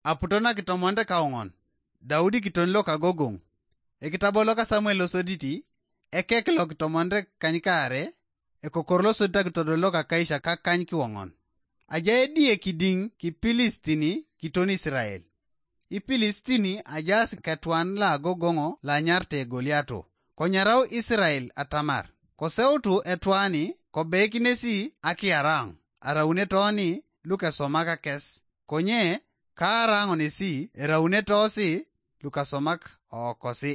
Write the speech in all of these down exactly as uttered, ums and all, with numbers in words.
Aputo nakitomonit kaoŋon, Daudi kitoni lokagogoŋ. Ekitabo loka Samuel losoditi, ekek lokitomonit kanykaare, ekokor losodit akitodol lokakaisha kakany kiwoŋon. Ajai ediye kidiŋ kipilisitini kiton Isirael. Ipilisitini ajaas ketwan loagogoŋ loanyarite Goliato. Konyarau Isirael atamar koseutu etwani kobeikinesi akiyaraŋ, araunetoni lukesomak kes, konye kaaraŋonesi eraunetosi lukasomak ookosi.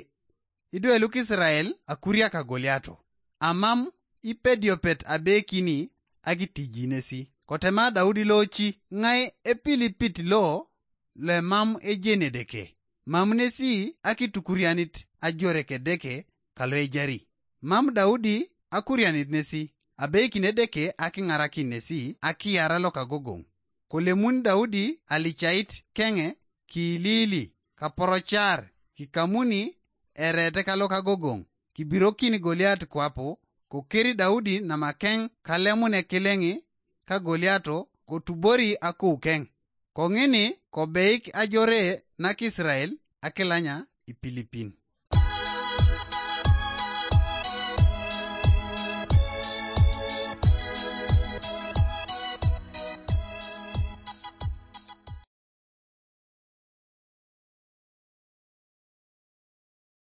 Idwe lukisirael akuriaka Goliato, amam ipediopet abeikini akitijinesi. Kotema Daudi loci, ŋai epilipit lo loemam ejeni Edeke? Mam nesi akitukurianit ajore kedeke kalo ejari. Mam Daudi akurianit nesi, abeikin Edeke akiŋarakin nesi akiyar lokagogoŋ. Kolemun Daudi alicait keŋe kiiliili, kaporocar, kikamuni erete kalokagogoŋ, kibirokin Goliat kwapu, kokeri Daudi namakeŋ kalemune kileŋi ka Goliato kotubori akoukeŋ. Koŋini kobeik ajore nakisrael akilanya ipilipin.